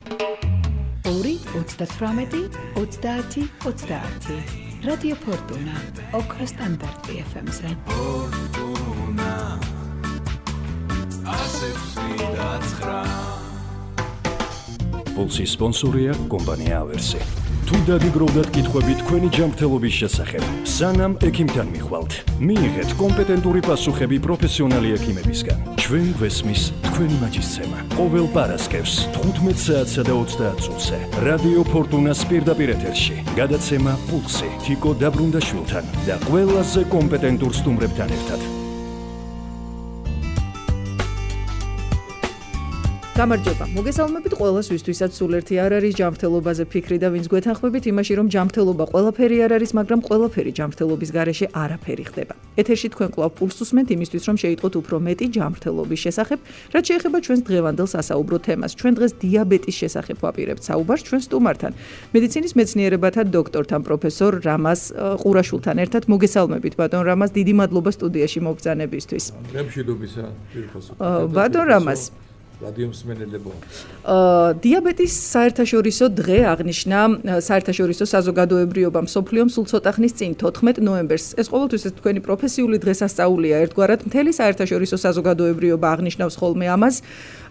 30 Radio Fortuna, ოქროს სტანდარტი FM-ზე. Pulsi sponsorია კომპანია ავერსი. თუ დაგიგროვდათ კითხვები თქვენი ჯანმრთელობის შესახებ, სანამ ექიმთან მიხვალთ, მიიღეთ კომპეტენტური პასუხები პროფესიონალი ექიმებისგან. ჩვენ გვესმის თქვენი მაჯისცემა. ყოველ პარასკევს 15 საათსა და 30 წუთზე რადიო ფორტუნას პირდაპირ ეთერში გადაცემა პულსი თიკო დაბრუნდაშვილთან და ყველაზე კომპეტენტურ სტუმრებთან ერთად. გამარჯობა. მოგესალმებით ყველას, ვისთვისაც სულ ერთი არ არის ჯანმრთელობაზე ფიქრი და ვინც გვეთანხმებით იმაში, რომ ჯანმრთელობა ყველაფერი არ არის, მაგრამ ყველაფერი ჯანმრთელობის გარეშე არაფერი ხდება. ეთერში თქვენ კვლავ პულსს უსმენთ იმისთვის, რომ შეიტყოთ უფრო მეტი ჯანმრთელობის შესახებ, რაც შეეხება ჩვენს დღევანდელ სასაუბრო თემას. ჩვენ დღეს დიაბეტის შესახებ ვაპირებთ საუბარს ჩვენ სტუმართან. მედიცინის მეცნიერებათა დოქტორთან პროფესორ რამაზ ყურაშვილთან ერთად. მოგესალმებით ბატონ რამაზ, დიდი მადლობა სტუდიაში მობრძანებისთვის. მშვიდობისა, პირხოსო. ბატონ რამაზ, რადიო მსმენელებო. დიაბეტის საერთაშორისო დღე აღნიშნა საერთაშორისო საზოგადოებრიობა მსოფლიომ სულ ცოტა ხნის წინ 14 ნოემბერს. ეს ყოველთვის თქვენი პროფესიული დღესასწაულია ერთგვარად. მთელი საერთაშორისო საზოგადოებრიობა აღნიშნავს ხოლმე ამას.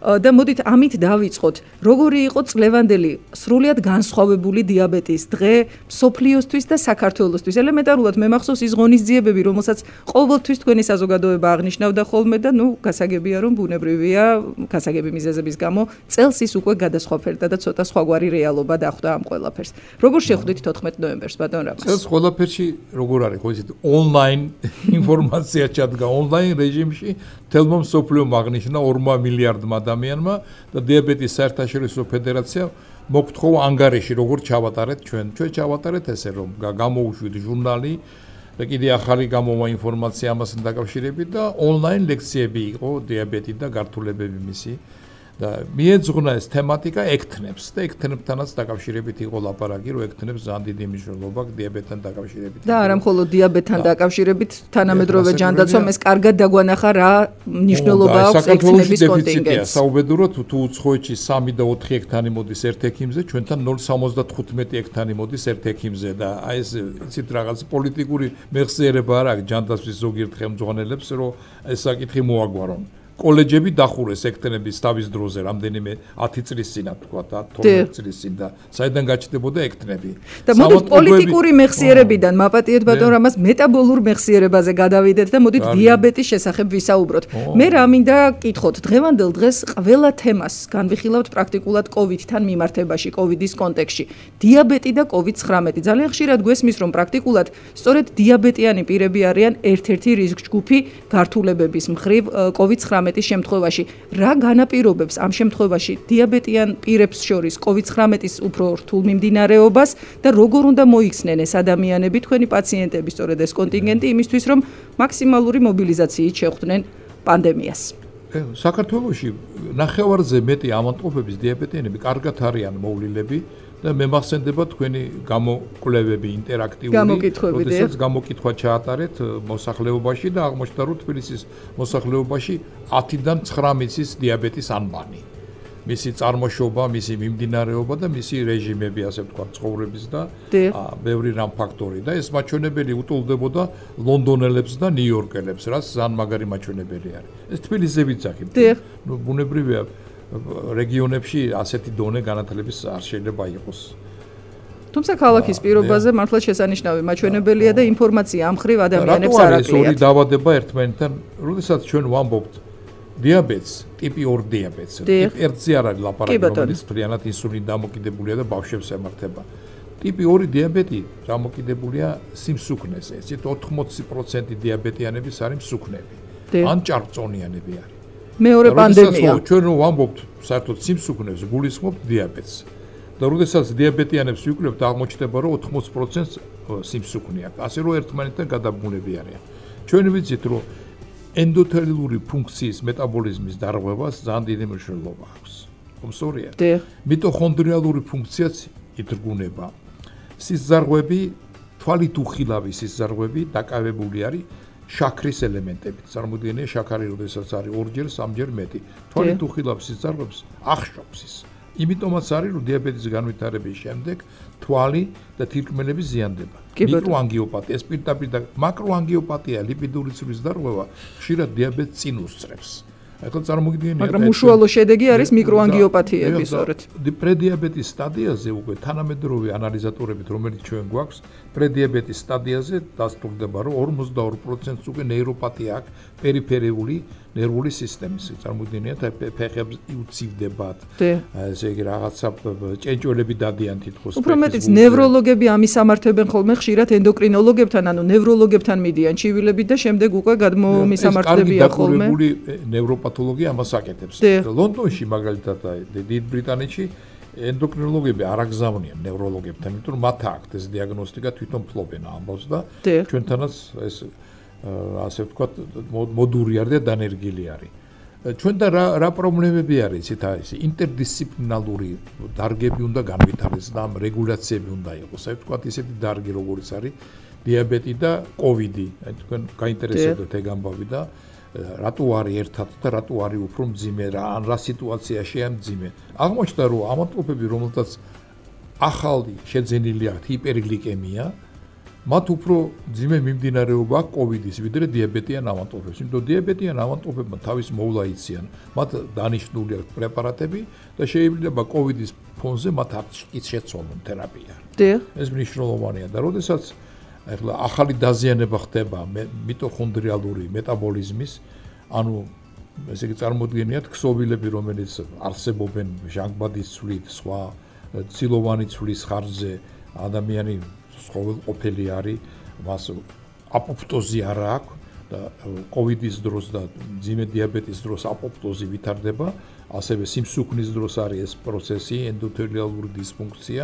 და მოდით ამით დავიწყოთ. როგორი იყო წლევანდელი სრულიად განსხვავებული დიაბეტის დღე მსოფლიოსთვის და საქართველოსთვის? ელემენტარულად მე მახსოვს ის ღონისძიებები, რომელსაც ყოველთვის თქვენი საზოგადოება აღნიშნავდა ხოლმე და გასაგებია რომ ბუნებრივია გასაგები მიზეზების გამო წელს ის უკვე გადასხვაფერდა და ცოტა სხვაგვარი რეალობა დახვდა ამ ყველაფერს. როგორ შეხვდით 14 ნოემბერს ბატონ რამაზ? წელს ყველაფერში როგორ არის, ხო იცით, ონლაინ ინფორმაცია ჩადგა ონლაინ რეჟიმში, თელმო მსოფლიო აღნიშნა 2 მილიარდმა ადამიანმა და დიაბეტის საერთაშორისო ფედერაცია მოგთხოვა ანგარიში როგორ ჩავატარეთ ჩვენ ჩავატარეთ ესე რომ გამოუშვით ჟურნალი და კიდე ახალი გამოვა ინფორმაცია ამასთან დაკავშირებით და ონლაინ ლექციები იყო დიაბეტი და გართულებები მისი და მიეძღვნა ეს თემატიკა ექთნებს და ექთნებთანაც დაკავშირებით იყო ლაპარაკი რომ ექთნებს ძალიან დიდი მნიშვნელობა დიაბეტთან დაკავშირებით და არა მხოლოდ დიაბეტთან დაკავშირებით თანამედროვე ჯანდაცვამ ეს კარგად დაგვანახა რა მნიშვნელობა აქვს ექთნების კონტინგენტს. საუბედუროთ თუ უცხოეთში 3 და 4 ექთანი მოდის ერთ ექიმზე, ჩვენთან 0.75 ექთანი მოდის ერთ ექიმზე და აი ეს იცით რაღაც პოლიტიკური მეხსიერება არ აქვს ჯანდაცვის ზოგიერთ ხელმძღვანელებს რომ ეს საკითხი მოაგვარონ. კოლეჯები დახურეს ექთნების თავის დროზე რამდენიმე 10 წლის წინა თქვა და 12 წლის წინ და საიდან გაჩნდებოდა ექთნები. და მოდით პოლიტიკური მეხსიერებიდან მაპატიეთ ბატონ რამაზ მეტაბოლურ მეხსიერებაზე გადავიდეთ და მოდით დიაბეტის შესახებ ვისაუბროთ. მე რა მინდა კითხოთ, დღევანდელ დღეს ყველა თემას განვიხილავთ პრაქტიკულად COVID-თან მიმართებაში, COVID-ის კონტექსტში. დიაბეტი და COVID-19 ძალიან ხშირად გვესმის რომ პრაქტიკულად სწორედ დიაბეტიანი პირები არიან ერთ-ერთი რისკ ჯგუფი გართულებების მხრივ COVID-19 შემთხვევაში. რა განაპირობებს ამ შემთხვევაში დიაბეტიან პირებს შორის COVID-19-ის უფრო რთულ მიმდინარეობას და როგორ უნდა მოიქცნენ ეს ადამიანები, თქვენი პაციენტები, სწორედ ეს კონტინგენტი იმისთვის, რომ მაქსიმალური მობილიზაციით შეხვდნენ პანდემიას? საქართველოში ნახევარზე მეტი ავადმყოფების დიაბეტიანები კარგად არიან მოვლილები და მე მახსენდება თქვენი გამოკვლევები ინტერაქტიული, როდესაც გამოკითხვა ჩაატარეთ მოსახლეობაში და აღმოჩნდა რომ თბილისის მოსახლეობაში 10-დან 19-ის დიაბეტის ანბანი. მისი წარმოშობა, მისი მიმდინარეობა და მისი რეჟიმები, ასე ვთქვათ, ცხოვრების და ბევრი რამ ფაქტორი და ეს მაჩვენებელი უტოლდებოდა ლონდონელებს და ნიუ-იორკელებს, რაც ძალიან მაგარი მაჩვენებელი არის. ეს თბილისზეც აქ. ბუნებრივია რეგიონებში ასეთი დონე განათლების არ შეიძლება იყოს. თუმცა ქალაქის პირობაზე მართლა შესანიშნავი მაჩვენებელია და ინფორმაცია ამ ხრივ ადამიანებს არ აკლიათ. რატო არის ორი დაავადება ერთმანეთთან, როდესაც ჩვენ ვამბობთ დიაბეტს, ტიპი 2 დიაბეტს. ტიპ 1-ზე არ არის ლაპარაკი, რომელიც ფრიანად ინსულინი დამოკიდებულია და ბავშვებს ემართება. ტიპი 2 დიაბეტი დამოკიდებულია სიმსუქნეზე. ესეთ 80% დიაბეტიანების არის მსუქნები. ან ჭარბწონიანები არის. მეორე პანდემია. ჩვენ რომ ვამბობთ საერთოდ სიმსუქნეს, გულისხმობთ დიაბეტს. და როდესაც დიაბეტიანებს ვიკვლევთ, აღმოჩნდება რომ 80%-ს სიმსუქნე აქვს. ასე რომ ერთმანეთთან გადაბმულები არიან. ჩვენ ვიცით რომ ენდოთელიური ფუნქციის მეტაბოლიზმის დარღვევას ძალიან დიდი მნიშვნელობა აქვს. ხომ სწორია? მიტოქონდრიალური ფუნქციაც ითრგუნება. სისხლძარღვები, თვალით უხილავი სისხლძარღვები დაკავებული არის შაქრის ელემენტებით. წარმოიდგინე შაქარი, როდესაც არის 2-ჯერ, 3-ჯერ მეტი. თვალით უხილავ სისხლძარღვებს ახშობს ის. იმიტომაც არის, რომ დიაბეტის განვითარების შემდეგ თვალი და თირკმელები ზიანდება. მიკროანგიოპათია, სპირტაპირ და მაკროანგიოპათია, ლიპიდური ცვლის დარღვევა ხშირად დიაბეტს წინ უსწრებს. ახლა წარმოგიდგენია, მაგრამ უშუალო შედეგი არის მიკროანგიოპათიები, სწორედ. პრედიაბეტის სტადიაზე უკვე თანამედროვე ანალიზატორებით, რომელიც ჩვენ გვაქვს, პრედიაბეტის სტადიაზე დასტურდება, რომ 42%-ს უკვე ნეიროპათია აქვს პერიფერიული ნერვული სისტემის. წარმოგიდგენიათ, ფეხებს უცივდებათ. ესე იგი რაღაცა ჭენჭველები დადიან თითქოს. უფრო მეტიც ნევროლოგები ამის ამართებენ ხოლმე ხშირად ენდოკრინოლოგებთან, ანუ ნევროლოგებთან მიდიან ჩივილებით და შემდეგ უკვე გადმომისამართებია ხოლმე. ეს კარგი ნევროპათოლოგია ამას აკეთებს. ლონდონში მაგალითად დიდ ბრიტანეთში ენდოკრინოლოგები არ აგზავნიან ნევროლოგებთან, იმიტომ რომ მათ აქვთ ეს დიაგნოსტიკა თვითონ ფლობენ ამბავს და ჩვენთანაც ეს ასე ვთქვათ მოდური არის და დანერგილი არის. ჩვენთან რა პრობლემები არის, იცით, ეს ინტერდისციპლინარული დარგები უნდა განვითარდეს და ამ რეგულაციები უნდა იყოს. ასე ვთქვათ, ისეთი დარგი როგორც არის დიაბეტი და კოვიდი. თქვენ გაინტერესებდეთ ეგ ამბავი და რატო არის ერთად და რატო არის უფრო მძიმე რა სიტუაციაშია მძიმე. აღმოჩნდა რომ ავადმყოფები, რომელთაც ახალი შეძენილი აქვს ჰიპერგლიკემია, მათ უფრო ძიმე მიმდინარეობა აქვს კოვიდის ვიდრე დიაბეტიან ავადმყოფებს. იმიტომ დიაბეტიან ავადმყოფებმა თავის მოვლა იციან, მათ დანიშნული აქვს პრეპარატები და შეიძლება კოვიდის ფონზე მათ არ შეცვალონ თერაპია. ეს მნიშვნელოვანია და როდესაც ახლა ახალი დაზიანება ხდება მიტოქონდრიალური მეტაბოლიზმის, ანუ ესე იგი წარმოდგენიათ ქსოვილები, რომელიც არსებობენ ჟანგბადის ცვლით, სხვა ცილოვანი ცვლის ხარჯზე, ადამიანი ყოფილი არის, მას აპოპტოზი არ აქვს და კოვიდის დროს და მძიმე დიაბეტის დროს აპოპტოზი ვითარდება, ასევე სიმსუქნის დროს არის ეს პროცესი, ენდოთელიალური დისფუნქცია,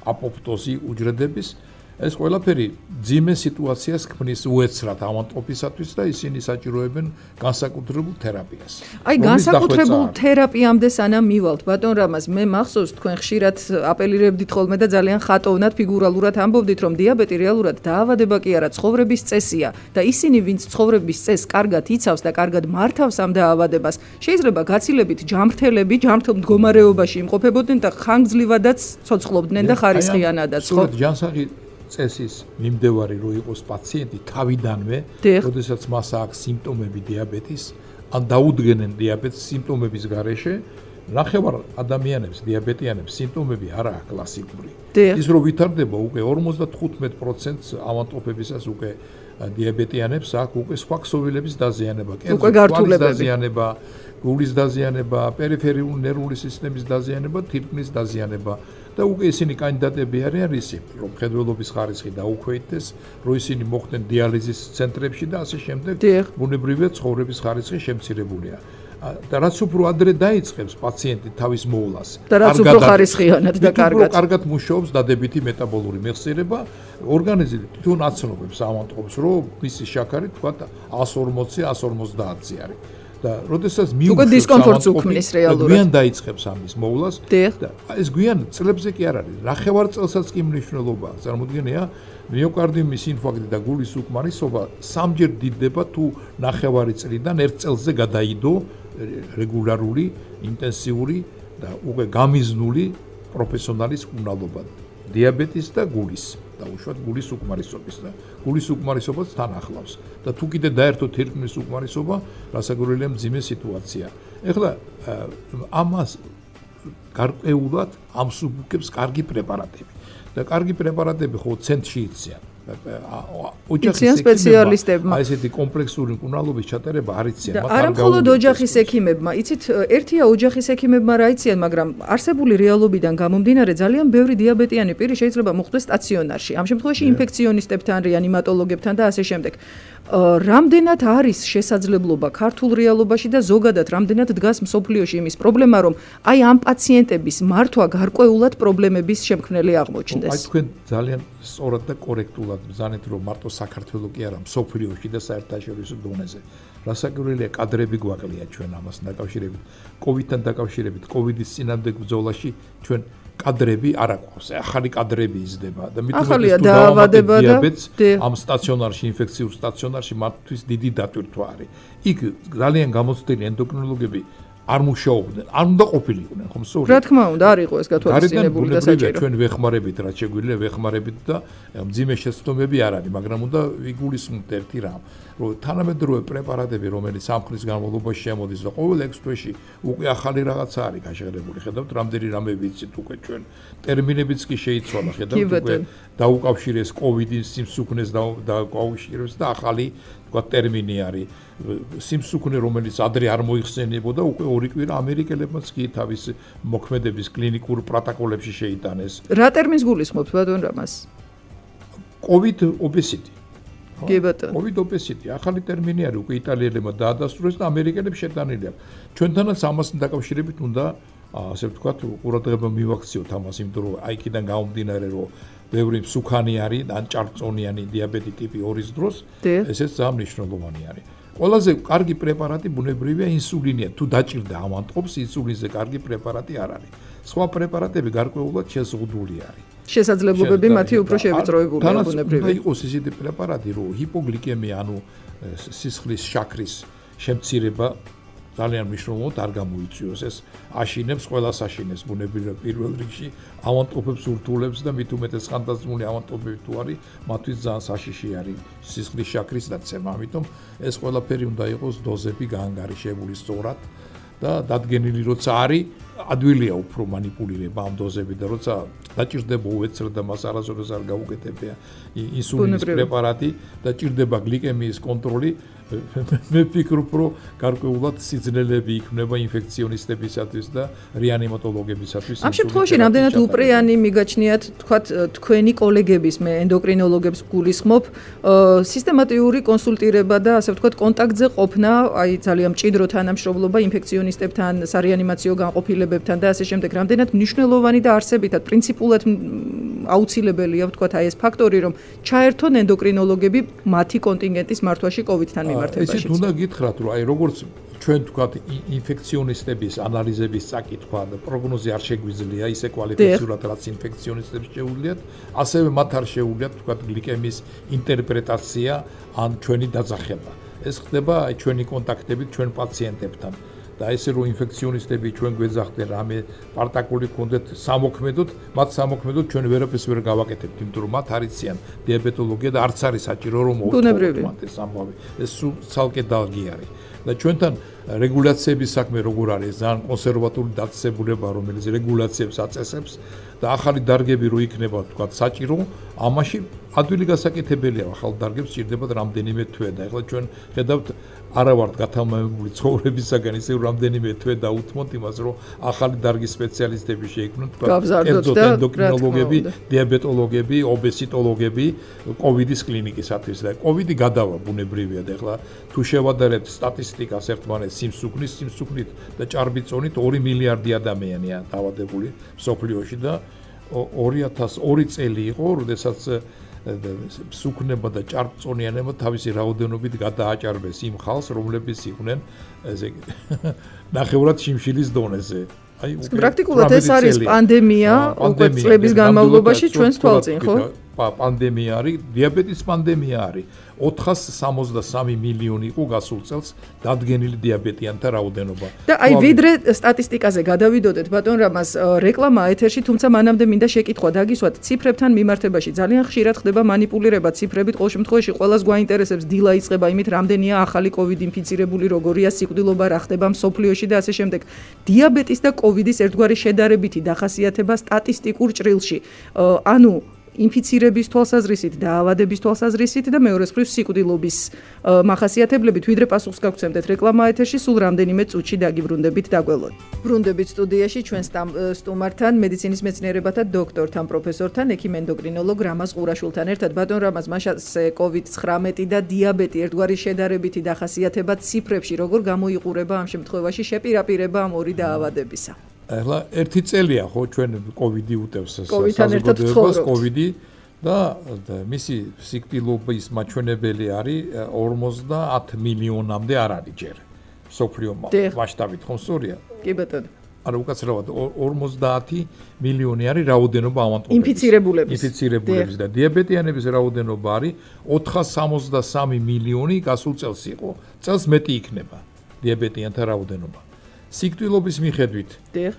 აპოპტოზი უჯრედების. ეს ყველაფერი ძიმე სიტუაციას ქმნის უეცრად ავადმყოფისათვის და ისინი საჭიროებენ განსაკუთრებულ თერაპიას. აი, განსაკუთრებულ თერაპიამდე სანამ მივალთ, ბატონ რამაზ, მე მახსოვს, თქვენ ხშირად აპელირებდით ხოლმე და ძალიან ხატოვნად ფიგურალურად ამბობდით, რომ დიაბეტი რეალურად დაავადება კი არა, ცხოვრების წესია და ისინი, ვინც ცხოვრების წესს კარგად იცავს და კარგად მართავს ამ დაავადებას, შეიძლება გაცილებით ჯანმრთელები, ჯანმრთელ მდგომარეობაში იმყოფებოდნენ და ხანგრძლივადაც ცოცხლობდნენ და ხარისხიანადაც, ხო? ჯანსაღი წესის მიმდევარი რო იყოს პაციენტი თავიდანვე, როდესაც მას აქვს სიმპტომები დიაბეტის, ან დაუდგენენ დიაბეტის სიმპტომების გარეშე, ნახევარ ადამიანებს, დიაბეტიანებს სიმპტომები არ აქვს კლასიკური. ის რო ვითარდება უკვე 55%-ს ავადმყოფებისას უკვე დიაბეტიანებს აქვს უკვე სხვა ქსოვილების დაზიანება, კერძო დაზიანება, გულის დაზიანება, პერიფერიული ნერვული სისტემის დაზიანება, თირკმლის დაზიანება. და უკვე ისინი კანდიდატები არიან რისი, რომ მხედველობის ხარისხი დაუქვეითდეს, რომ ისინი მოხდნენ დიალიზის ცენტრებში და ასე შემდეგ, ბუნებრივია ცხოვრების ხარისხი შემცირებულია. და რაც უფრო ადრე დაიწყებს პაციენტი თავის მოვლას, და რაც უფრო ხარისხიანად და კარგად მუშაობს დადებითი მეტაბოლური მეხსიერება, ორგანიზმი თვითონ აცნობებს ავადმყოფს, რომ მისი შაქარი თქვა 140-150-ზე არის. და როდესაც უკვე დისკომფორტს უქმნის რეალურად. გვიან დაიწყებს ამის მოვლას და ეს გვიან წლებზე კი არ არის. ნახევარ წელსაც კი მნიშვნელობა. წარმოდგენია, მიოკარდიუმის ინფარქტი და გულის უკმარისობა სამჯერ დიდდება თუ ნახევარი წლიდან ერთ წელზე გადაიდო რეგულარული, ინტენსიური და უკვე გამიზნული პროფესიონალის მკურნალობა დიაბეტის და გულის. და უშუალოდ გულის უკმარისობის და გულის უკმარისობაც თან ახლავს და თუ კიდე დაერთო თირკმლის უკმარისობა, რასაკვირველია მძიმე სიტუაცია. ეხლა ამას გარკვეულად ამსუბუქებს კარგი პრეპარატები და კარგი პრეპარატები ხო ცენტრში იციან. ოჯახის სპეციალისტებმა აი ესეთი კომპლექსური მკურნალობის ჩატარება არ იციან, მაგრამ არა მხოლოდ ოჯახის ექიმებმა, იცით, ერთია ოჯახის ექიმებმა რა იციან, მაგრამ არსებული რეალობიდან გამომდინარე ძალიან ბევრი დიაბეტიანი პირი შეიძლება მოხვდეს სტაციონარში. ამ შემთხვევაში ინფექციონისტებთან, რეანიმატოლოგებთან და ასე შემდეგ. რამდენად არის შესაძლებლობა ქართულ რეალობაში და ზოგადად რამდენად დგას მსოფლიოში იმის პრობლემა, რომ აი ამ პაციენტების მართვა გარკვეულად პრობლემების შემქმნელი აღმოჩნდეს. აი თქვენ ძალიან სწორად და კორექტულად ბრძანეთ, რომ მარტო საქართველოს კი არა, მსოფლიოში და საერთაშორისო დონეზე. რასაკვირველია, კადრები გვაკლია ჩვენ ამას დაკავშირებით. კოვიდთან დაკავშირებით, კოვიდის წინამდებ ბრძოლაში ჩვენ კადრები არ აქვს. ახალი კადრები იზრდება და ახალია დაავადება და ამ სტაციონარში, ინფექციურ სტაციონარში მათთვის დიდი დატვირთვა არის. იქ ძალიან გამოცდილი ენდოკრინოლოგები არ მუშაობდნენ, არ უნდა ყოფილიყვნენ, ხომ სწორია? რა თქმა უნდა, არ იყო ეს გათვალისწინებული და საჭირო. ჩვენ ვეხმარებით, რაც შეგვიძლია ვეხმარებით და მძიმე შეცდომები არ არის, მაგრამ უნდა ვიგულისხმოთ ერთი რამ, რომ თანამედროვე პრეპარატები, რომელიც სამხრის განმავლობაში შემოდის და ყოველ 6 თვეში უკვე ახალი რაღაცა არის გაშენებული. ხედავთ, რამდენი რამე ვიცით უკვე ჩვენ. ტერმინებიც კი შეიცვალა, ხედავთ უკვე დაუკავშირეს კოვიდის სიმსუქნეს დაუკავშირეს და ახალი თქვა ტერმინი არის. სიმსუქნე, რომელიც ადრე არ მოიხსენებოდა, უკვე 2 კვირა ამერიკელებმაც კი თავის მოქმედების კლინიკურ პროტოკოლებში შეიტანეს. რა ტერმინს გულისხმობთ ბატონ რამას? COVID obesity. კი ბატონო. COVID obesity, ახალი ტერმინი არის, უკვე იტალიელებმა დაადასტურეს და ამერიკელებს შეტანილი აქვს. ჩვენთანაც ამასთან დაკავშირებით უნდა ასე ვთქვათ, ყურადღება მივაქციოთ ამას, იმიტომ რომ აი იქიდან გამომდინარე, რომ ბევრი მსუქანი არის, ან ჭარბწონიანი დიაბეტი ტიპი 2-ის დროს, ესეც ძალიან მნიშვნელოვანი არის. ყველაზე კარგი პრეპარატი ბუნებრივია ინსულინია. თუ დაჭირდა ამანტყოფს, ინსულინზე კარგი პრეპარატი არ არის. სხვა პრეპარატები გარკვეულად შეზღუდული არის. შესაძლებლობები მათი უფრო შევიწროებულია ბუნებრივია. თანაც იყოს ისეთი პრეპარატი, რომ ჰიპოგლიკემია, ანუ სისხლის შაქრის შემცირება ძალიან მნიშვნელოვნად არ გამოიწვიოს. ეს აშინებს, ყველას აშინებს ბუნებრივია პირველ რიგში ავანტყოფებს ურთულებს და მით უმეტეს ხანდაზმული ავანტყოფები თუ არის, მათთვის ძალიან საშიში არის სისხლის შაქრის დაცემა. ამიტომ ეს ყველაფერი უნდა იყოს დოზები გაანგარიშებული სწორად და დადგენილი როცა არის, ადვილია უფრო манипуლირება ამ დოზები და როცა დაჭირდება უეცრად და მას არასოდეს არ გაუკეთებია ინსულინის პრეპარატი და ჭირდება გლიკემიის კონტროლი, მე ვფიქრობ, რომ გარკვეულად სიძნელები იქნება ინფექციონისტებისათვის და რეანიმატოლოგებისათვის. ამ შემთხვევაში რამდენად უპრეანი მიგაჩნიათ, თქვათ, თქვენი კოლეგების, მე ენდოკრინოლოგებს გულისხმობ, სისტემატიური კონსულტირება და ასე ვთქვათ, კონტაქტზე ყოფნა, აი ძალიან მჭიდრო თანამშრომლობა ინფექციონისტებთან, სარეანიმაციო განყოფილებებთან და ასე შემდეგ, რამდენად მნიშვნელოვანი და არსებითად პრინციპულად აუცილებელია, ვთქვათ, აი ეს ფაქტორი, რომ ჩაერთონ ენდოკრინოლოგები მათი კონტინგენტის მართვაში COVID-თან მიმართებაში. ისიც უნდა გითხრათ, რომ აი როგორც ჩვენ ვთქვათ, ინფექციონისტების ანალიზების წაკითხვა და პროგნოზი არ შეგვიძლია ისე კვალიფიცირად, რაც ინფექციონისტებს შეუძლიათ, ასევე მათ არ შეუძლიათ, ვთქვათ, გლიკემიის ინტერპრეტაცია ან ჩვენი დაძახება. ეს ხდება აი ჩვენი კონტაქტებით ჩვენ პაციენტებთან. და ესე რომ ინფექციონისტები ჩვენ გვეძახდნენ რამე პარტაკული კონდეთ სამოქმედოდ, მათ სამოქმედოდ ჩვენ ვერაფერს ვერ გავაკეთებთ, იმიტომ რომ მათ არიციან დიაბეტოლოგია და არც არის საჭირო რომ მოვთხოვოთ ეს ამბავი. ეს ცალკე დალგი არის. და ჩვენთან რეგულაციების საქმე როგორ არის, ძალიან კონსერვატული დაწესებულება, რომელიც რეგულაციებს აწესებს და ახალი დარგები რო იქნება, თქვა საჭირო, ამაში ადვილი გასაკეთებელია ახალ დარგებს სჭირდებათ რამდენიმე თვე და ეხლა ჩვენ ხედავთ არა ვართ გათამამებული ცხოვრებისაგან ისე რამდენიმე თვე დაუთმოთ იმას რომ ახალი დარგის სპეციალისტები შეიქმნათ თქვა ენდოკრინოლოგები, დიაბეტოლოგები, ობესიტოლოგები კოვიდის კლინიკისათვის და კოვიდი გადავა ბუნებრივია და ეხლა თუ შევადარებთ სტატისტიკას ერთმანეთს სიმსუქნით და ჭარბიწონით 2 მილიარდი ადამიანია დაავადებული სოფლიოში და 2002 წელი იყო, როდესაც სუქნება და ჭარბწონიანება თავისი რაოდენობით გადააჭარბეს იმ ხალხს, რომლებიც იყვნენ ესე ნახევრად შიმშილის დონეზე. აი პრაქტიკულად ეს არის პანდემია, უკვე წლების განმავლობაში ჩვენს თვალწინ, ხო? პანდემია არის, დიაბეტის პანდემია არის. 463 მილიონი იყო გასულ წელს დადგენილი დიაბეტიანთა რაოდენობა. და აი ვიდრე სტატისტიკაზე გადავიდოდეთ ბატონ რამას რეკლამა ეთერში, თუმცა მანამდე მინდა შეკითხვა დაგისვათ ციფრებთან მიმართებაში. ძალიან ხშირად ხდება манипуლირება ციფრებით, ყოველ შემთხვევაში ყველას გვაინტერესებს დილა იწყება იმით, რამდენია ახალი COVID ინფიცირებული, როგორია სიკვდილობა, რა ხდება მსოფლიოში და ასე შემდეგ. დიაბეტის და COVID-ის ერთგვარი შედარებითი დახასიათება სტატისტიკურ ჭრილში. ანუ ინფიცირების თვალსაზრისით, დაავადების თვალსაზრისით და მეორე მხრივ სიკვდილობის მახასიათებლებით, ვიდრე პასუხს გაგცემდეთ რეკლამა ეთერში, სულ რამდენიმე წუთში დაგიბრუნდებით დაგველოთ. ბრუნდებით სტუდიაში ჩვენ სტუმართან, მედიცინის მეცნიერებათა დოქტორთან, პროფესორთან, ექიმ ენდოკრინოლოგ რამაზ ყურაშვილთან ერთად. ბატონ რამაზ, მაშასე COVID-19 და დიაბეტი ერთგვარი შედარებითი დახასიათება ციფრებში როგორ გამოიყურება ამ შემთხვევაში შეპირაპირება ამ ორი დაავადებისა? ახლა ერთი წელია ხო ჩვენ კოვიდი უტევს საზოგადოებას კოვიდი და მისი სიკვდილობის მაჩვენებელი არის 50 მილიონამდე არ არის ჯერ სოფლიო მასშტაბით ხო სწორია? კი ბატონო. არა უკაცრავად 50 მილიონი არის რაოდენობა ავანტყოფების ინფიცირებულების და დიაბეტიანების რაოდენობა არის 463 მილიონი გასულ წელს იყო. წელს მეტი იქნება დიაბეტიანთა რაოდენობა. სიკვდილობის მიხედვით. დიახ.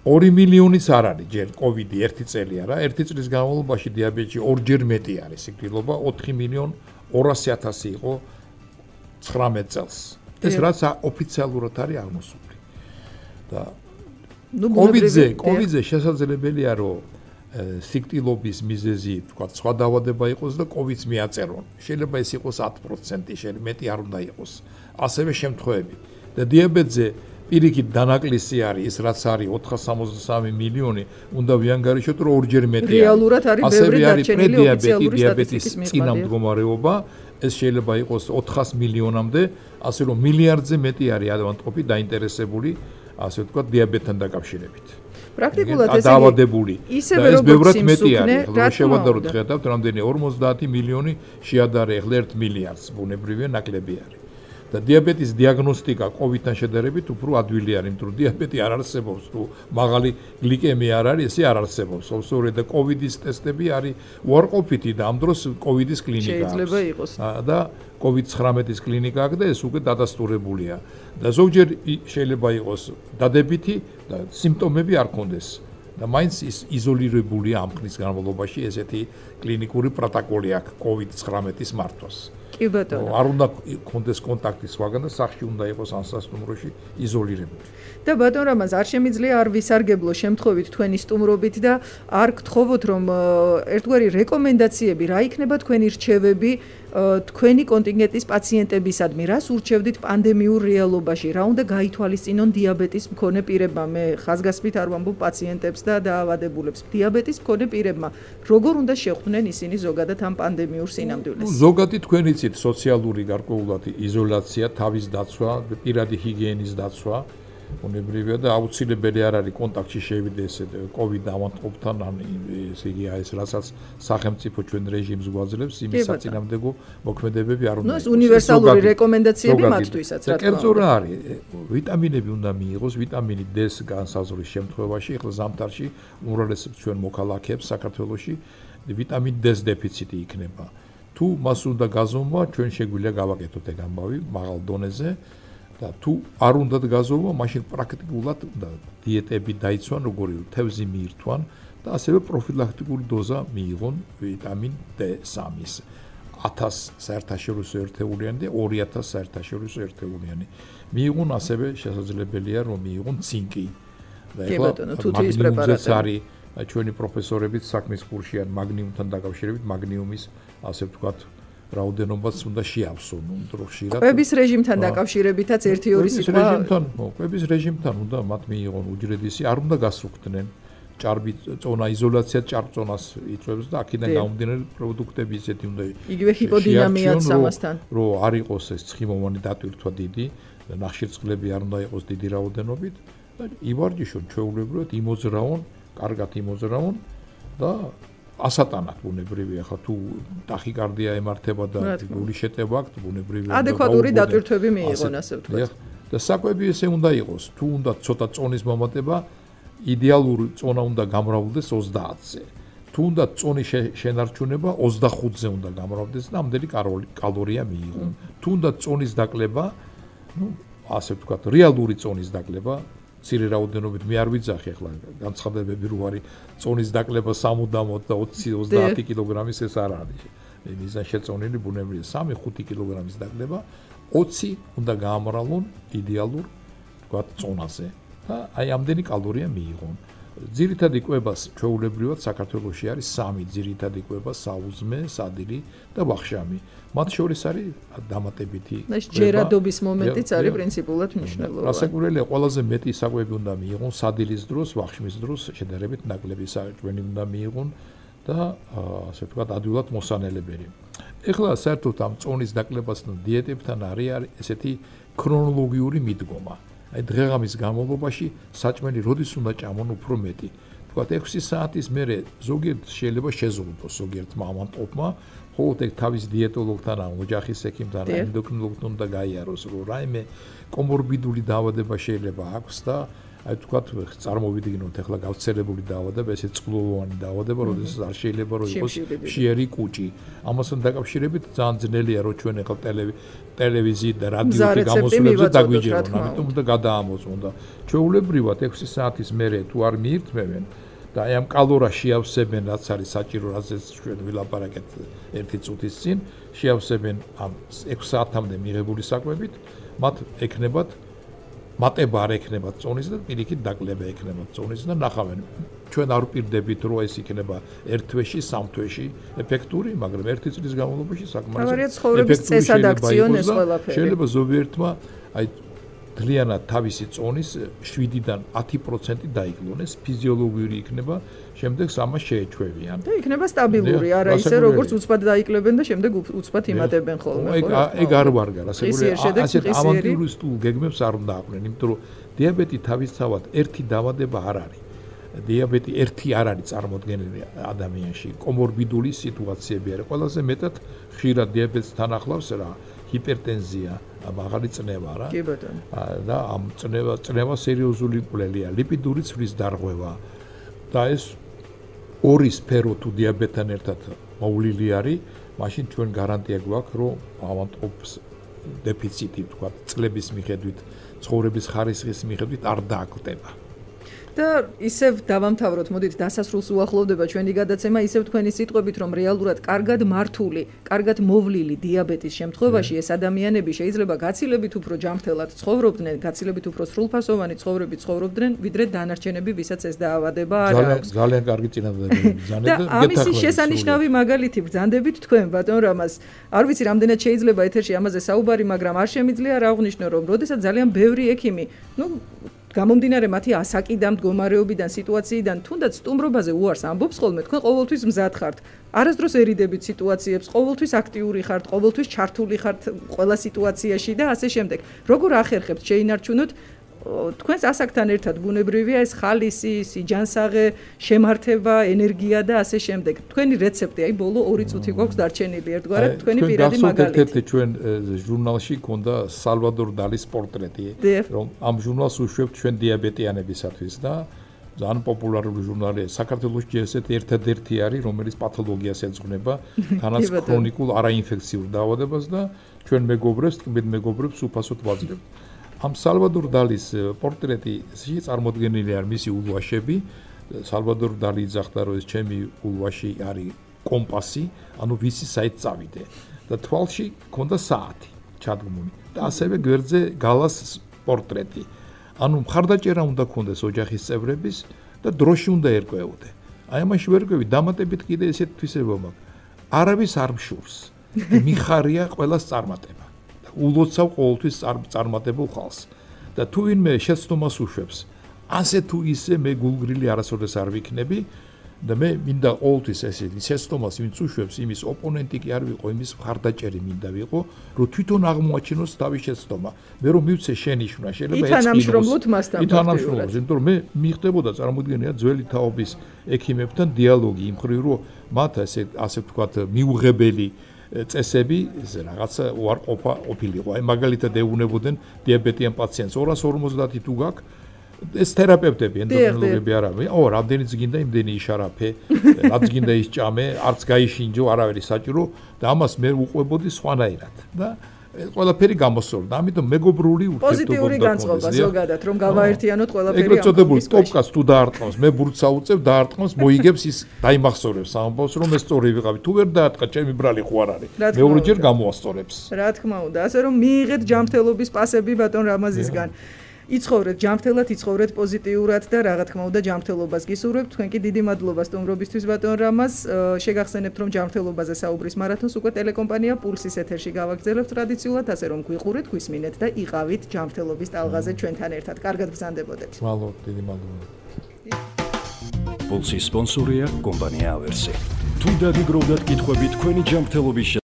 2 მილიონიც არ არის ჯერ COVID-ი 1 წელი არა, 1 წლის განმავლობაში დიაბეტში ორჯერ მეტი არის სიკვდილობა, 4 მილიონ 200,000 იყო 19 წელს. ეს რაც ოფიციალურად არის აღმოსული. და COVID-ზე შესაძლებელია რომ სიკვდილობის მიზეზი, თქვა, სხვა დაავადება იყოს და COVID-ს მიაწერონ. შეიძლება ეს იყოს 10%, შეიძლება მეტი არ უნდა იყოს. ასევე შემთხვევები. და დიაბეტზე პირიქით დანაკლისი არის ის რაც არის 463 მილიონი, უნდა ვიანგარიშოთ რომ ორჯერ მეტი არის. რეალურად არის ბევრი დარჩენილი ოფიციალური სტატისტიკის მდგომარეობა, ეს შეიძლება იყოს 400 მილიონამდე, ასე რომ მილიარდზე მეტი არის ავადმყოფი დაინტერესებული, ასე ვთქვათ, დიაბეტთან დაკავშირებით. პრაქტიკულად ეს დაავადებული. ისევე როგორც ბევრად მეტი არის. რა შევადაროთ ხედავთ, რამდენი 50 მილიონი შეადარე ახლა 1 მილიარდს, ბუნებრივია ნაკლები არის. და დიაბეტის დიაგნოსტიკა COVID-თან შედარებით უფრო ადვილი არის, იმიტომ რომ დიაბეტი არ არსებობს, თუ მაღალი გლიკემია არ არის, ესე არ არსებობს. ოსორე და COVID-ის ტესტები არის უარყოფითი და ამ დროს COVID-ის კლინიკა აქვს. შეიძლება იყოს. და COVID-19-ის კლინიკა აქვს და ეს უკვე დადასტურებულია. და ზოგჯერ შეიძლება იყოს დადებითი და სიმპტომები არ ქონდეს. და მაინც ის იზოლირებულია ამ ხნის განმავლობაში ესეთი კლინიკური პროტოკოლი აქვს COVID-19-ის მართვას. კი ბატონო. არ უნდა კონდეს კონტაქტი სხვაგან და სახლში უნდა იყოს ანსასტუმროში იზოლირებული. და ბატონ რამაზ არ შემიძლია არ ვისარგებლო შემთხვევით თქვენი სტუმრობით და არ გთხოვოთ რომ ერთგვარი რეკომენდაციები რა იქნება თქვენი რჩევები თქვენი კონტინგენტის პაციენტებისადმი, რას ურჩევდით პანდემიურ რეალობაში, რა უნდა გაითვალისწინონ დიაბეტის მქონე პირებმა, მე ხაზგასმით არ ვამბობ პაციენტებს და დაავადებულებს, დიაბეტის მქონე პირებმა, როგორ უნდა შეხვდნენ ისინი ზოგადად ამ პანდემიურ სინამდვილეს? ზოგადი თქვენ იცით სოციალური გარკვეულად იზოლაცია, თავის დაცვა, პირადი ჰიგიენის დაცვა, უნებრივია და აუცილებელი არ არის კონტაქტში შევიდეს COVID ავადმყოფთან, ან ესე იგი ეს რასაც სახელმწიფო ჩვენ რეჟიმს გვაძლევს, იმის საწინააღმდეგო მოქმედებები არ უნდა იყოს. ნუ ეს უნივერსალური რეკომენდაციები მათთვისაც რა თქმა უნდა. კერძო რა არის? ვიტამინები უნდა მიიღოს, ვიტამინი D-ს განსაზღვრის შემთხვევაში, ახლა ზამთარში უმრავლესებს ჩვენ მოქალაქეებს საქართველოში ვიტამინ D-ს დეფიციტი იქნება. თუ მას უნდა გაზომვა, ჩვენ შეგვიძლია გავაკეთოთ ეგ ამბავი მაღალ დონეზე. და თუ არ უნდათ გაზომვა, მაშინ პრაქტიკულად უნდა დიეტები დაიცვან, როგორი თევზი მიირთვან და ასევე პროფილაქტიკური დოზა მიიღონ ვიტამინ D3-ის 1000 საერთაშორისო ერთეულიანი და 2000 საერთაშორისო ერთეულიანი. მიიღონ ასევე შესაძლებელია რომ მიიღონ ცინკი. და ეხლა თუთიის პრეპარატები არის ჩვენი პროფესორებიც საქმის კურსში ან მაგნიუმთან დაკავშირებით მაგნიუმის ასე ვთქვათ რაოდენობას უნდა შეავსონ, უფრო ხშირად. კვების რეჟიმთან დაკავშირებითაც 1-2 სიტყვა. კვების რეჟიმთან უნდა მათ მიიღონ უჯრედისი, არ უნდა გასრუხდნენ. ჭარბი წონა იზოლაცია ჭარბწონას იწვევს და აქედან გამომდინარე პროდუქტები ისეთი უნდა იგივე ჰიპოდინამიაც ამასთან. რომ არ იყოს ეს ცხიმოვანი დატვირთვა დიდი, ნახშირწყლები არ უნდა იყოს დიდი რაოდენობით და ივარჯიშონ ჩვეულებრივად იმოძრაონ, კარგად იმოძრაონ და ასატანად ბუნებრივია, ხა თუ ტახიკარდია ემართება და გული შეტევა აქვს, ბუნებრივია ადეკვატური დატვირთვები მიიღონ, ასე ვთქვათ. და საკვები ესე უნდა იყოს, თუ უნდა ცოტა წონის მომატება, იდეალური წონა უნდა გამრავლდეს 30-ზე. თუ უნდა წონის შენარჩუნება 25-ზე უნდა გამრავლდეს და ამდენი კალორია მიიღონ. თუ უნდა წონის დაკლება, ну, ასე ვთქვათ, რეალური წონის დაკლება ცირე რაოდენობით მე არ ვიძახი ახლა განცხადებები რო არის წონის დაკლება 60 და 20-30 კილოგრამის ეს არ არის. მიზან შეწონილი ბუნებრივია 3-5 კილოგრამის დაკლება 20 უნდა გაამრავლონ იდეალურ ვთქვათ წონაზე და აი ამდენი კალორია მიიღონ. ძირითადი კვებას ჩვეულებრივად საქართველოში არის 3 ძირითადი კვება: საუზმე, სადილი და ვახშამი. მათ შორის არის დამატებითი ჯერადობის მომენტიც არის პრინციპულად მნიშვნელოვანი. რასაკვირველია, ყველაზე მეტი საკვები უნდა მიიღონ სადილის დროს, ვახშმის დროს შედარებით ნაკლები საკვები უნდა მიიღონ და ასე ვთქვათ ადვილად მოსანელებელი. ეხლა საერთოდ ამ წონის დაკლებასთან დიეტებთან არის ესეთი ქრონოლოგიური მიდგომა. აი დღეღამის განმავლობაში საჭმელი როდის უნდა ჭამონ უფრო მეტი. ვთქვათ 6 საათის მერე ზოგიერთ შეიძლება შეზღუდოს ზოგიერთ მამამტყმა, ხოლო ეგ თავის დიეტოლოგთან ან ოჯახის ექიმთან ან ენდოკრინოლოგთან უნდა გაიაროს, რომ რაიმე კომორბიდული დაავადება შეიძლება აქვს და აი თქვა წარმოვიდგინოთ ახლა გავცელებული დაავადება, ესე წყლულოვანი დაავადება, როდესაც არ შეიძლება რომ იყოს მშიერი კუჭი. ამასთან დაკავშირებით ძალიან ძნელია რომ ჩვენ ახლა ტელევიზიით და რადიოთი გამოსვლებზე დაგვიჯერონ, ამიტომ უნდა გადაამოწმონ და ჩვეულებრივად 6 საათის მერე თუ არ მიირთმევენ და აი ამ კალორას შეავსებენ, რაც არის საჭირო, რაზეც ჩვენ ვილაპარაკეთ 1 წუთის წინ, შეავსებენ ამ 6 საათამდე მიღებული საკვებით, მათ ექნებათ მატება არ ექნებათ წონისა და პირიქით დაკლება ექნებათ წონისა და ნახავენ. ჩვენ არ ვპირდებით რომ ეს იქნება 1 თვეში, 3 თვეში ეფექტური, მაგრამ 1 წლის განმავლობაში საკმარისად ეფექტური შეიძლება ზოგიერთმა აი ძალიანად თავისი წონის 7-დან 10% დაიკლონეს, ფიზიოლოგიური იქნება, შემდეგ ამას შეეჩვევიან. და იქნება სტაბილური, არა ისე როგორც უცბად დაიკლებენ და შემდეგ უცბად იმატებენ ხოლმე. ეგ არ ვარგარ, ასე რომ ასეთ ავანტიურისტულ გეგმებს არ უნდა აყვნენ, იმიტომ რომ დიაბეტი თავისთავად ერთი დაავადება არ არის. დიაბეტი ერთი არ არის წარმოდგენილი ადამიანში, კომორბიდული სიტუაციები არის. ყველაზე მეტად ხშირად დიაბეტთან ახლავს რა, ჰიპერტენზია, მაღალი წნევა რა. კი ბატონო. და ამ წნევა სერიოზული კვლელია, ლიპიდური ცვლის დარღვევა. და ეს ორი სფერო თუ დიაბეტთან ერთად მოვლილი არის, მაშინ ჩვენ გარანტია გვაქვს, რომ ავანტყოფს დეფიციტი, თქვა, წლების მიხედვით, ცხოვრების ხარისხის მიხედვით არ დააკვდება. და ისევ დავამთავროთ, მოდით დასასრულს უახლოვდება ჩვენი გადაცემა, ისევ თქვენი სიტყვებით, რომ რეალურად კარგად მართული, კარგად მოვლილი დიაბეტის შემთხვევაში ეს ადამიანები შეიძლება გაცილებით უფრო ჯანმრთელად ცხოვრობდნენ, გაცილებით უფრო სრულფასოვანი ცხოვრებით ცხოვრობდნენ, ვიდრე დანარჩენები, ვისაც ეს დაავადება არ აქვს. ძალიან კარგი წინადადებები ბრძანეთ და ამისი შესანიშნავი მაგალითი ბრძანდებით თქვენ, ბატონ რამაზ. არ ვიცი, რამდენად შეიძლება ეთერში ამაზე საუბარი, მაგრამ არ შემიძლია რა აღნიშნო, რომ როდესაც ძალიან ბევრი ექიმი, გამომდინარე მათი ასაკიდან, მდგომარეობიდან, სიტუაციიდან, თუნდაც სტუმრობაზე უარს ამბობს ხოლმე, თქვენ ყოველთვის მზად ხართ. არასდროს ერიდებით სიტუაციებს, ყოველთვის აქტიური ხართ, ყოველთვის ჩართული ხართ ყველა სიტუაციაში და ასე შემდეგ. როგორ ახერხებთ შეინარჩუნოთ თქვენს ასაკთან ერთად ბუნებრივია ეს ხალისი, სიჯანსაღე, შემართება, ენერგია და ასე შემდეგ. თქვენი რეცეპტი, აი ბოლო 2 წუთი გვაქვს დარჩენილი ერთგვარად, თქვენი პირადი მაგალითი. ერთ-ერთი ჩვენ ჟურნალში ქონდა სალვადორ დალის პორტრეტი, რომ ამ ჟურნალს უშვებთ ჩვენ დიაბეტიანებისათვის და ძალიან პოპულარული ჟურნალია. საქართველოში ესეთი ერთადერთი არის, რომელიც პათოლოგიას ეძღვნება, თანაც ქრონიკულ არაინფექციურ დაავადებას და ჩვენ მეგობრებს, ტკბილ მეგობრებს უფასოდ ვაძლევთ. ამ სალვადორ დალის პორტრეტში წარმოდგენილი არის მისი ულვაშები. სალვადორ დალი იძახდა, რომ ეს ჩემი ულვაში არის კომპასი, ანუ ვიცი საით წავიდე. და თვალში ქონდა საათი ჩადგმული. და ასევე გვერდზე გალას პორტრეტი. ანუ მხარდაჭერა უნდა ქონდეს ოჯახის წევრების და დროში უნდა ერკვეოდე. აი ამაში ვერკვევი დამატებით კიდე ესეთ თვისება მაქვს. არავის არ მშურს. მიხარია ყველას წარმატება. ულოცავ ყოველთვის წარმატებულ ხალხს და თუ ვინმე შეცდომას უშვებს ასე თუ ისე მე გულგრილი არასოდეს არ ვიქნები და მე მინდა ყოველთვის ესე შეცდომას ვინც უშვებს იმის ოპონენტი კი არ ვიყო იმის მხარდაჭერი მინდა ვიყო რომ თვითონ აღმოაჩინოს თავის შეცდომა მე რომ მივცე შენიშვნა შეიძლება ითანამშრომლოთ მასთან ითანამშრომლოთ იმიტომ რომ მე მიხდებოდა წარმოუდგენია ძველი თაობის ექიმებთან დიალოგი იმ ხრივ რომ მათ ასე ვთქვათ მიუღებელი წესები რაღაცა უარყოფა ყოფილიყო. აი მაგალითად ეუბნებოდნენ დიაბეტიან პაციენტს 250 თუ გაქვს ეს თერაპევტები, ენდოკრინოლოგები არ არის. რამდენიც გინდა იმდენი იშარაფე, რაც გინდა ისჭამე, არც გაიშინჯო, არავერი საჭირო და ამას მე უყვებოდი სხვანაირად. და ყველაფერი გამოსწორდა. ამიტომ მეგობრული ურთიერთობა პოზიტიური განწყობა ზოგადად, რომ გავაერთიანოთ ყველაფერი. ეგრეთ წოდებული ტოპკას თუ დაარტყმავს, მე ბურთს აუწევ, დაარტყმავს, მოიგებს ის დაიმახსოვრებს, ამბობს რომ ეს სწორი ვიყავი. თუ ვერ დაარტყა, ჩემი ბრალი ხო არ არის. მეორეჯერ გამოასწორებს. რა თქმა უნდა, ასე რომ მიიღეთ ჯანმრთელობის პასები ბატონ რამაზისგან. იცხოვრეთ ჯანმრთელად, იცხოვრეთ პოზიტიურად და რა თქმა უნდა ჯანმრთელობას გისურვებთ. თქვენ კი დიდი მადლობა სტუმრობისთვის ბატონ რამაზ. შეგახსენებთ რომ ჯანმრთელობაზე საუბრის მარათონს უკვე ტელეკომპანია პულსის ეთერში გავაგრძელებთ ტრადიციულად, ასე რომ გვიყურეთ, გვისმინეთ და იყავით ჯანმრთელობის ტალღაზე ჩვენთან ერთად. კარგად ბრძანდებოდეთ. მადლობა, დიდი მადლობა. პულსის სპონსორია კომპანია ავერსი. თუ დაგიგროვდათ კითხვები თქვენი ჯანმრთელობის